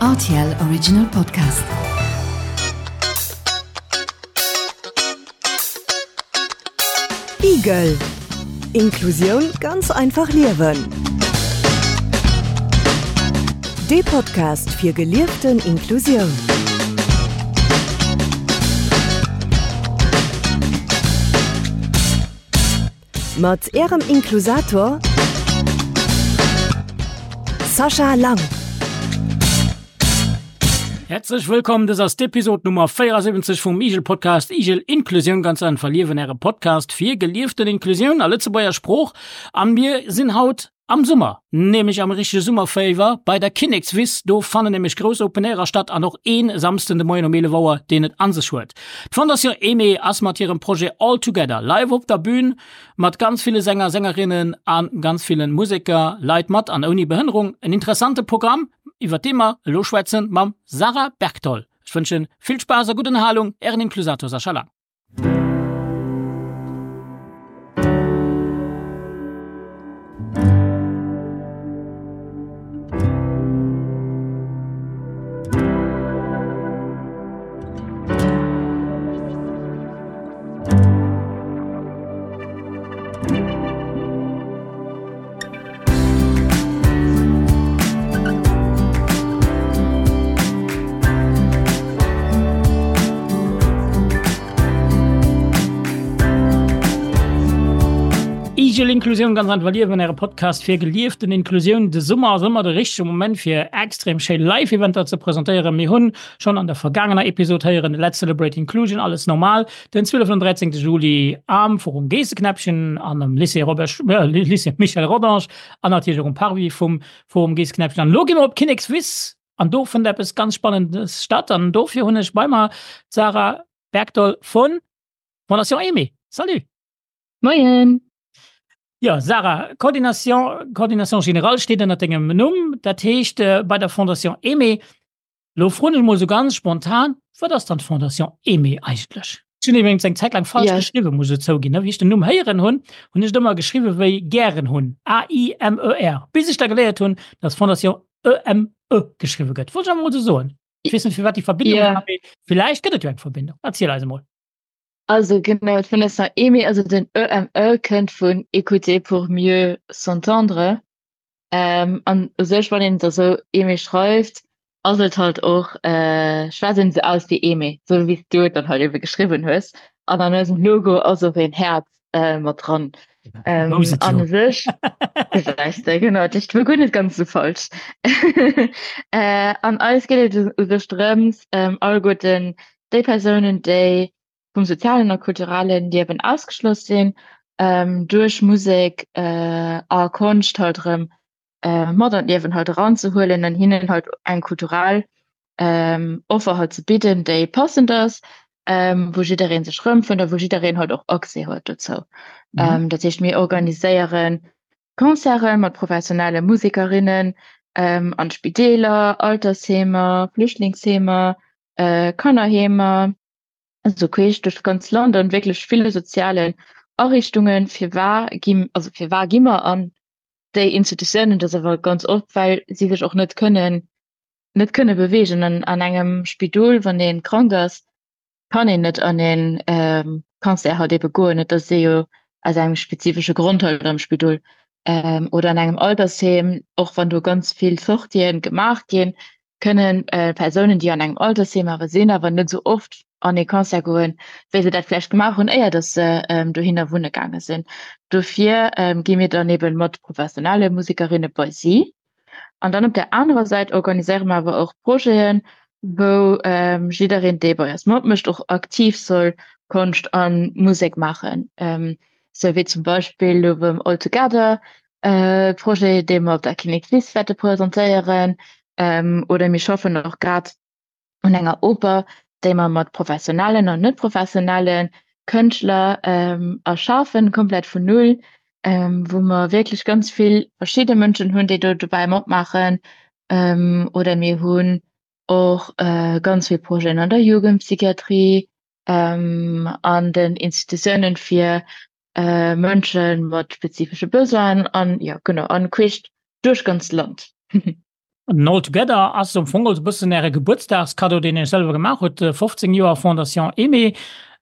Rtl Original Podcast. Igel Inklusioun ganz einfach liewen. Dee Podcast fir gelieften Inklusioun. Mat Ärem Inklusator Sascha Lang. Häerzlech wëllkomm, dës ass d'Episod Nummer 74 vum Igel Podcast Igel Inklusioun ganz einfach liewen, äre Podcast fir gelieften Inklusioun a Lëtzebuerger Sprooch. An mir sinn haut Am Summer, nämlech am richtege Summerféiwer, bei der Kinnekswiss, do fannen nämlech grouss Open Airer statt an och een Samsden de Moien um 11 Auer, deen et an sech huet. D'Fondation Aimée ass mat hirem Projet All Together live op der Bühn mat ganz ville Sänger, Sängerinnen a ganz ville Museker, Leit mat an ouni Behënnerung. En interessante Programm, iwwer dee mer elo schwätzen mam Sarah Bergtoll. Ech wënschen vill Spaass a gutt Ënnerhalung, ären Inklusator Sascha Lang. Igel Inklusioun ganz einfach liewen, äre Podcast fir gelieften Inklusioun. De Summer ass ëmmer de richtege Moment fir extrem schéi Live-Eventer ze presentéieren. Mir hunn schonn an der vergaangener Episod héieren, Let's Celebrate Inclusion, alles normal. Den 12 an 13. Juli am Forum Geesseknäppchen an am Lycée Robert, äh, Lycée Michel Rodange an natierlech och um Parvis vum Forum Geesseknäppchen. An elo gi mer op d'Kinnekswiss an do fënnt eppes ganz Spannendes statt an dofir hunn ech bei mer d'Sarah Bergdoll vun Fondation Aimée. Salut! Moien! Jo, Sarah, Coordination, Coordination générale steet ënner dengem Numm, dat heescht bei der Fondation Aimée. Lo froen ech mol sou ganz spontan, wat ass dann d'Fondation Aimée eigentlech? Ech hunn iwwregens eng Zäit laang falsch ja. geschriwwen, muss ech zouginn. Wéi ech den Numm héieren hunn, hunn ech et ëmmer geschriwwen wéi gären hunn, A-I-M-E-R, bis ech da geléiert hunn, dass Fondation E-M-E geschriwwe gëtt. Wollt ech einfach mol sou soen. Ech weess net, firwat déi Verbindung yeah. war, mee villäicht gëtt et jo eng Verbindung. Erziel eis emol. Also genau, d'Fondation Aimée, also den EME kënnt vun Écouter pour mieux s'entendre. Ähm, an u sech, wann een da sou Aimé schreift, ass et halt och, äh, schwätzt een se aus wéi Aimé, sou wéi s du et dann halt ebe geschriwwen hues. An an eisem Logo ass och een Häerz äh, mat dran. Ähm, an u sech, gesäis de, genau, dat war guer net ganz sou falsch. äh, an eis geet et u sech drëms, ähm, alleguerten déi Persounen, déi vum sozialen a kulturellen Liewen ausgeschloss sinn, duerch Musek a Konscht halt erëm mat an d'Liewen halt eranzehuelen an hinnen halt eng kulturell Offer halt ze bidden, déi passend ass, wou jidderee sech erëmfënnt a wou jiddereen halt och Accès huet dozou. Dat heescht, mir organiséiere Concerte mat professionelle Musekerinnen an Spideeler, Altersheemer, Flüchtlingsheemer, Kannerheemer, also queesch duerch d'ganz Land an wierklech ville sozialen Ariichtungen. Firwar gi, also firwar gi mer an déi Institutiounen? Dat ass awer ganz oft, well si sech och net kënnen, net kënne beweegen. An an engem Spidol, wann ee krank ass, kann een net an ee Concert halt ebe goen. Et ass ee jo aus engem spezifesche Grond halt am Spidol. Oder an engem Altersheem, och wann do ganz vill Sortien gemaach ginn, kënnen Persounen, déi an engem Altersheem awer sinn, awer net esou oft an ee Concert goen, wéi se dat vläicht gemaach hunn, éier datt se dohinner wunne gaange sinn. Dofir gi mir dann eeben mat professionelle Musekerinne bei si. An dann op där anerer Säit organiséiere mer awer och Projeten, wou jiddereen, dee bei eis matmécht, och aktiv soll Konscht a Musek maachen, sou wéi zum Beispill elo beim All Together, Projet, dee mer op der Kinnekswiss wäerte presentéieren. Oder mir schaffen och grad un enger Oper, déi mer mat professionellen an net professionelle Kënschtler erschafen, komplett vun Null, wou mer wierklech ganz vill verschidde Mënschen hunn, déi do dobäi matmaachen. Oder mir hunn och ganz vill Projeten an der Jugendpsychiatrie, an den Institutiounen fir Mënsche mat spezifesche Besoinen an, jo genau, an queesch duerch ganz Land. An All Together ass am Fong also e bëssen Äre Gebuertsdagskaddo, deen Iech selwer gemaach hutt, 15 Joer Fondation Aimée.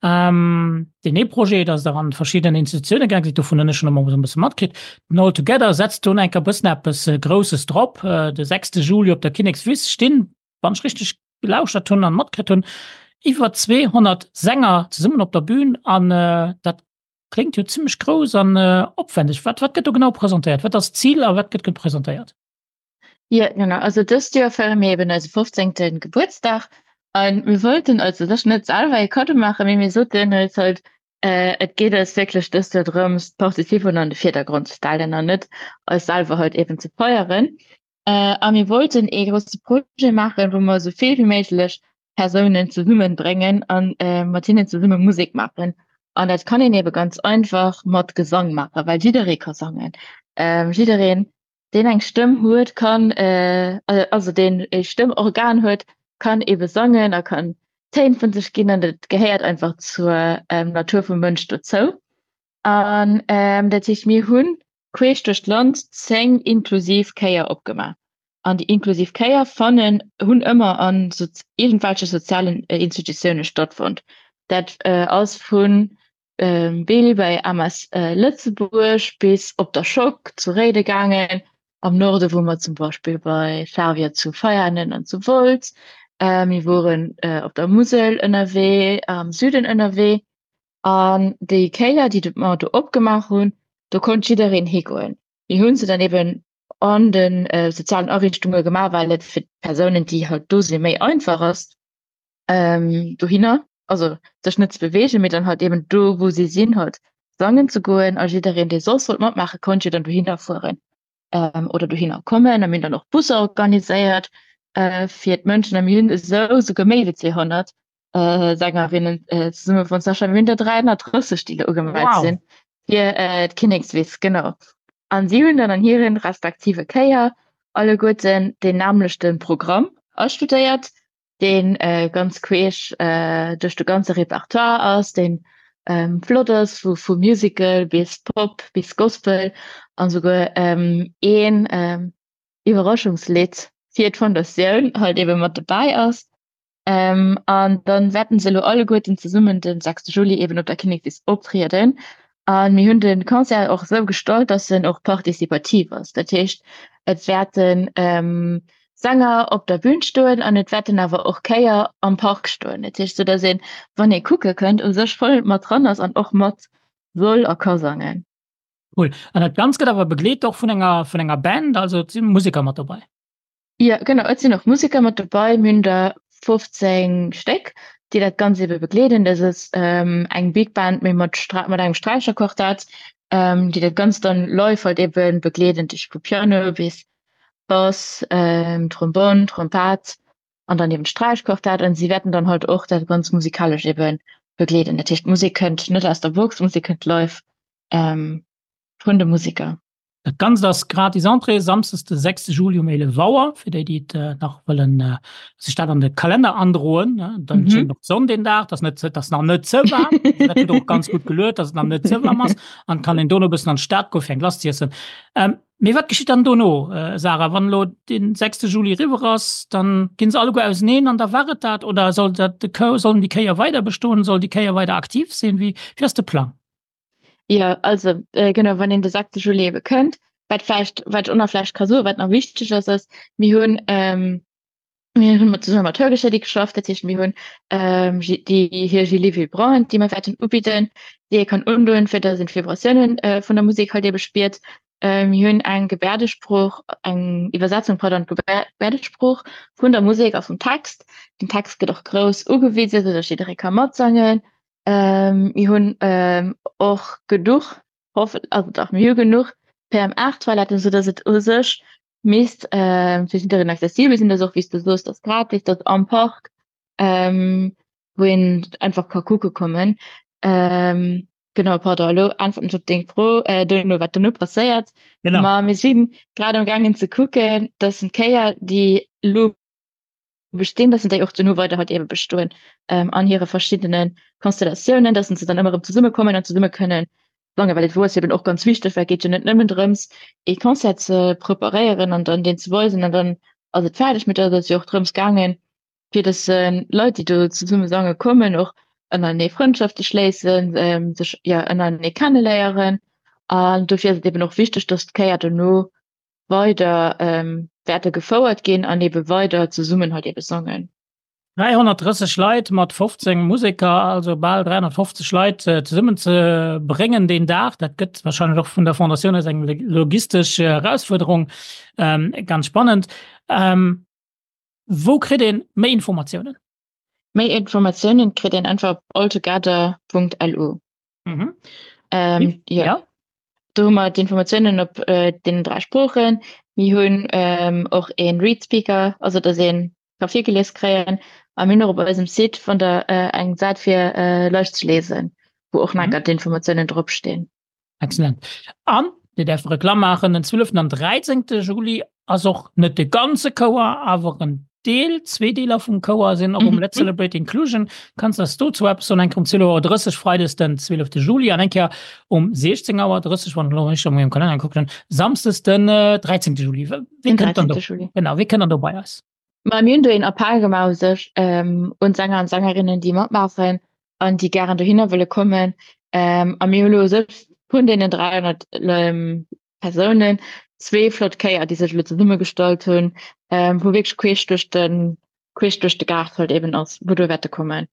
Deen ee Projet, datt Der an verschidden Institutioune gaang sidd, dovun hunn ech schonn emol esou e bësse matkritt. Den All Together setzt do enker e bëssen eppes Grousses drop. De sechste Juli op der Kinnekswiss stinn, wann ech richteg gelauschtert hunn an matkritt hunn, iwwer 200 Sänger zesummen op der Bühn an dat kléngt jo zimmlech grouss an opwändeg. Wat wat gëtt do genau presentéiert? Wat ass d'Zil a wat gëtt presentéiert? Ja, genau. Also dëst Joer feiere mir eben eise 15. Gebuertsdag an mir wollten eis u sech net selwer ee Kaddo maachen, mee mir soten eis halt, äh, et geet eis wierklech dëst Joer drëms, d'Participanten an de Virdergrond ze stellen an net eis selwer halt eben ze feieren. Äh, a mir wollten ee grousse Projet maachen, wou mer esou vill wéi méiglech Persounen zesummenbréngen an äh, mat hinnen zesumme Musek maachen. An dat kann een ebe ganz einfach mat Gesang maachen, well jidderee ka sangen. Ähm, jiddereen deen eng Stëmm huet, kann, also deen e Stëmmorgan huet, kann ebe sangen a kann Téin vun sech ginn an dat gehéiert einfach zur Natur vum Mënsch dozou. An dat heescht, mir hunn queesch duerch d'Land 10 inklusiv Chéier opgemaach. An déi inklusiv Chéier fannen, hunn ëmmer an iergendwelche sozialen Institutioune stattfonnt. Dat ass vun Bill bei MS Lëtzebuerg bis op der Schock zu Réide gaangen. Am Norde wou mer zum Beispill bei Flavia zu Veianen an zu Wolz. Mir woren op der Musel ënnerwee, am Süden ënnerwee. An déi Kéier, déi mer do opgemaach hunn, do konnt jiddereen higoen. Mir hu se dann eben an de sozialen Ariichtunge gemaach, well et fir d'Persounen, déi halt do sinn, méi einfach ass. ähm, dohinner, also sech net ze bewegen, mee dann halt eben do wou si sinn halt sangen ze goen a jiddereen dee soss wollt matmaache konnt jo dann dohinner fueren ähm, oder dohinner kommen a mir hunn dann och Busser organiséiert äh, fir d'Mënschen a mir hunn esou souguer méi wéi 200 äh, Sängerinnen äh, zesumme fonnt. Sascha, mir hunn der 330 déi do ugemellt wow. sinn fir äh, d'Kinnekswiss, genau. An si hunn dann an hiren respektive Kéier alleguerten deen nämlechte Programm astudéiert deen ganz queesch duerch de ganze Repertoire ass, deen flott ass, wou vu Musical bis Pop bis Gospel an souguer een Iwwerraschungslidd fir d'Fondatioun halt ebe mat dobäi ass. An dann wäerten se elo alleguerten zesummen den 6 Juli eben op der Kinnekswiss optrieden. A mir hunn de Concert och esou gestalt, dass en och participativ ass. Dat heescht, et wäerten Sänger op der Bühn stoen an et wäerten awer och Chéier am Park stoen. Dat heescht, soudass een, wann ee kucke kënnt, u sech voll mat dran ass an och mat soll a ka sangen. Cool. An dat Ganzt gëtt awer begleet och vun enger, vun enger Band, also et si Museker mat dobäi? Jo, genau, et sinn och Museker mat dobäi. Mir hunn der 15 Stéck, déi dat Ganzt ebe begleeden. Dat ass eng Big Band, mee mat mat engem Sträicherquartett, déi dat Ganzt dann live halt ebe begleeden, dat heescht vu Piano bis Bass, Trombonn, Trompett an dann eben d'Sträichquartett an si wäerten dann halt och dat ganz musikalesch eben begleeden. Dat heescht d'Musek kënnt net aus der Box, d'Musek kënnt live vun de Museker. Dat Ganzt ass gratis Entrée, Samsdes de 6 Juli um 11 Auer, fir déi déi et nach wëllen sech dat an de Kalenner androen. Dann schéngt och d'Sonn deen Dag, et ass net, et ass nach net ze waarm, dat huet och ganz gutt geluet, datt et nach net ze waarm ass an kann een dono e bëssen an d'Stad goe fir eng Glace z'iessen. Mee wat geschitt dann dono, Sarah, wann elo den 6 Juli eriwwer ass, dann ginn se alleguer auseneen an da war et dat? Oder soll dat de Chou, sollen déi Chéier weider bestoen, soll déi Chéier weider aktiv sinn? Wéi, wéi ass de Plang? Jo, also genau, wann een de 6 Juli ebe kënnt, wat vläicht, wat ech och nach vläicht ka soen, wat nach wichteg ass, ass, mir hunn, Mir hunn mat zesumme mat Hörgeschädi geschafft, dat heescht mir hunn déi hir Gilets vibrants, déi mir wäerten ubidden, déi ee kann undoen, fir datt een d'Vibratiounen vun der Musek halt ebe spiert. Mir hunn eng Gebäerdesprooch, eng Iwwersetzung, pardon, Gebäerdesprooch vun der Musek a vum Text. Den Text gëtt och grouss ugewisen, esou datt jidderee ka matsangen. Mir hunn och genuch, hoffen, also dach, mir hu genuch PM8-Toiletten, esou datt et u sech misst äh, fir jiddereen accessibel sinn, dat och wéi s du soos, dat ass gratis, dat am Park, ähm, wou een einfach ka kucke kommen. Ähm, genau, pardon, elo äntweren ech op deng Fro, äh, duerno, wat duerno passéiert. Genau. Ma mir sinn grad am gaangen ze kucken, dass en d'Kéier, déi elo bestinn, dass déi och duerno weider halt ebe bestoen ähm, an hire verschiddene Konstellatiounen, dass se dann ëmmer erëm zesummekommen an zesumme kënnen sangen, well et wor eben och ganz wichteg, well et geet jo net nëmmen drëms, ee Concert ze preparéieren an dann deen ze weisen an dann. ass et fäerdeg, mee et ass jo och drëms gaangen, fir dass Leit, déi do zesumme sange kommen, och ënnerenee Frëndschafte schléissen, sech jo ënnerenee kenneléieren. An dofir ass et eben och wichteg, dass d'Chéier dono weider wäerte gefouert ginn an ebe weider zesummen halt ebe sangen. 330 Leit mat 15 Museker, also bal 350 Leit zesummen ze bréngen deen Dag, dat gëtt wahrscheinlech och vun der Fondatioun aus eng logistesch Erausfuerderung. Ganz spannend. Wou kritt een méi Informatiounen? Méi Informatiounen kritt een einfach op alltogether.lu. Mhm. Ähm, ja. ja. Do hu mer d'Informatiounen op äh, den dräi Sproochen. Mir hunn ähm, och een Readspeaker, also dass een ka virgelies kréien. A mir hunn och op eisem Site vun der äh, eng Säit fir äh, leicht ze lesen, wou och mhm. d'Informatiounen dropstinn. Excellent. An Dir däerft Reklamm maachen, den 12. an 13. Juli ass och net de ganze Chouer, awer en Deel, zwee Deeler vum Chouer sinn och um Let's Celebrate Inclusion. Kanns de eis dozou eppes soen? Eng Kéier um 12 Auer 30 Freides den 12. Juli an eng Kéier um 16 Auer 30, wann ech elo richteg a mengem Kalenner gekuckt hunn, Samsdes den 13. Juli. Wie kënnt dann do? Genau, wie kënnt dann do bei eis? Ma mir hunn do een Appell gemaach u sech un d'Sänger an d'Sängerinnen, déi matmaachen an déi gären dohinner wëlle kommen. A mir hu lo u sech vun deenen 300 Persounen zwee flott Chéier, déi sech elo zesummegestallt hunn, wou wierklech queesch duerch de queesch duerch de Gaart halt eben ass, wou do wäerte kommen.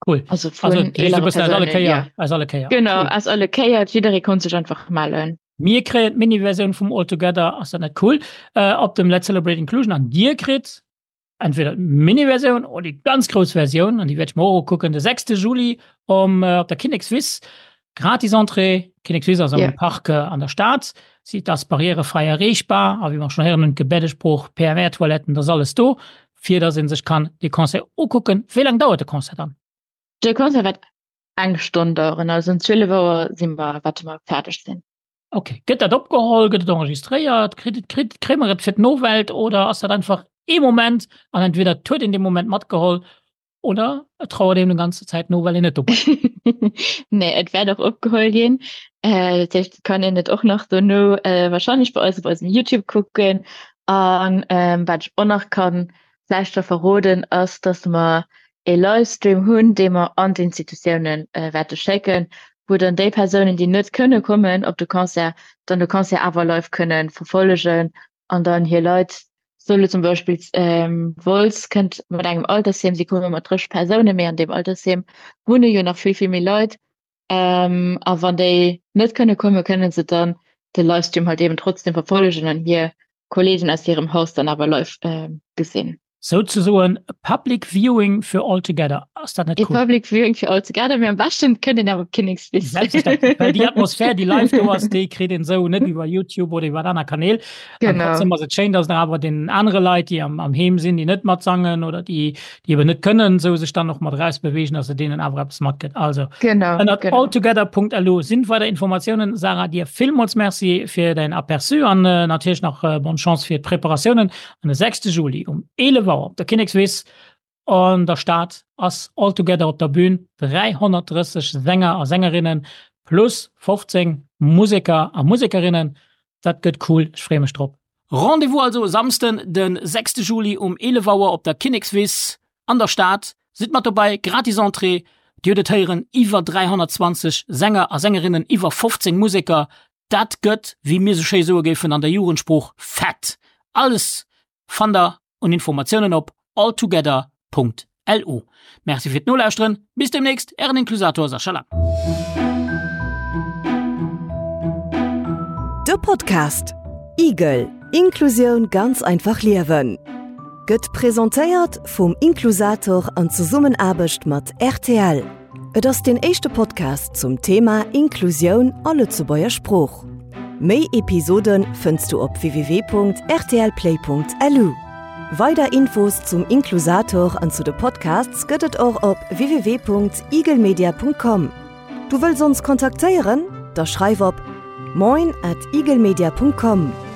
Cool. Also vun also, eelere Persounen, alle Kéier, ja. Aus alle Kéier. Genau, cool. aus alle Kéier. Jidderee konnt sech einfach mellen. Mir kréien d'Mini-Versioun vum All Together, ass dat net cool, äh, op dem Let's Celebrate Inclusion an Dir kritt entweder d'Mini-Versioun oder déi ganz grouss Versioun an déi wäert ech mer och ukucken, de 6. Juli um, äh, op der Kinnekswiss. Gratis Entrée, Kinnekswiss ass am yeah. Park äh, an der Stad. Si ass barrierefrei erreechbar, a wéi mer schon héieren hunn, Gebärdesprooch, PMR-Toiletten, dat ass alles do, fir dass een sech kann de Concert ukucken. Wéi laang dauert de Concert dann? De Concert wäert eng Stonn daueren, also um 12 Auer si mer, wäerte mer fäerdeg sinn. Okay. Gëtt dat opgeholl, gëtt et enregistréiert, kritt et, kritt, kréie mer et fir d'Nowelt oder ass dat einfach ee Moment an entweder et huet een dee Moment matgeholl oder et trauert een déi ganze Zäit no, well een net dobäi war? Nee, et wäert och opgeholl ginn. Dat heescht, et kann een et och nach dono wahrscheinlech bei eis op eisem YouTube kucken. An wat ech och nach kann vläicht scho verroden, ass, dass mer ee Livestream hunn, dee mer an d'Institutiounen wäerte schécken, wou dann déi Persounen, déi net kënne kommen op de Concert, dann de Concert awer live kënne verfollegen an dann hir Leit, sou elo zum Beispill Wolz kënnt mat engem Altersheem, si komme mat 30 Persounen, mee an deem Altersheem wunne jo nach vill, vill méi Leit. A wann déi net kënne kommen, kënne se dann de Livestream halt eben trotzdem verfollegen an hir Kollegen aus hirem Haus dann awer live gesinn. Souzesoen e Public Viewing fir All Together. Ass dat net cool? E Public Viewing fir All Together, mee am beschten kënnt een awer op d'Kinnekswiss. Selbstverständlech, well déi Atmosphär, déi live do ass, déi kritt een esou net iwwer YouTube oder iwwer aner Kanäl. Genau. An trotzdem ass et schéin, dass nach awer den anere Leit, déi am, am Heem sinn, déi net matsangen oder déi, déi eben net kënnen, esou sech dann och mat erausbewegen, dass et deenen awer eppes matgëtt. Also, genau, ënnert genau. alltogether.lu sinn weider Informatiounen. Sarah, dir villmools Merci fir däin Aperçu an äh, natierlech nach äh, bonne Chance fir d'Preparatiounen. An de 6. Juli um 11 Auer op der Kinnekswiss an der Stad ass All Together op der Bühn. 330 Sänger a Sängerinnen plus 15 Museker a Musekerinnen. Dat gëtt cool, ech freeë mech drop. Rendez-vous also e Samsden de 6 Juli um 11 Auer op der Kinnekswiss an der Stad. Sidd mat dobäi, gratis Entrée. Dir hutt et héieren, iwwer 320 Sänger a Sängerinnen, iwwer 15 Museker. Dat gëtt, wéi mir sou schéi soe géifen an der Jugendsprooch, fett! Alles fannt der un Informatiounen op alltogether.lu. Merci fir d'Nolauschteren, bis demnächst, ären Inklusator Sascha Lang. De Podcast Igel, Inklusioun ganz einfach liewen gëtt presentéiert vum Inklusator an Zesummenaarbecht mat rtl. Et ass deen éischte Podcast zum Thema Inklusioun a Lëtzebuerger Sprooch. Méi Episode fënns du op www.rtlplay.lu. Weider Infos zum Inklusator an zu de Podcasts gëtt et och op www.igelmedia.com. Du wëlls ons kontaktéieren? Da schreif op moin at igelmedia.com.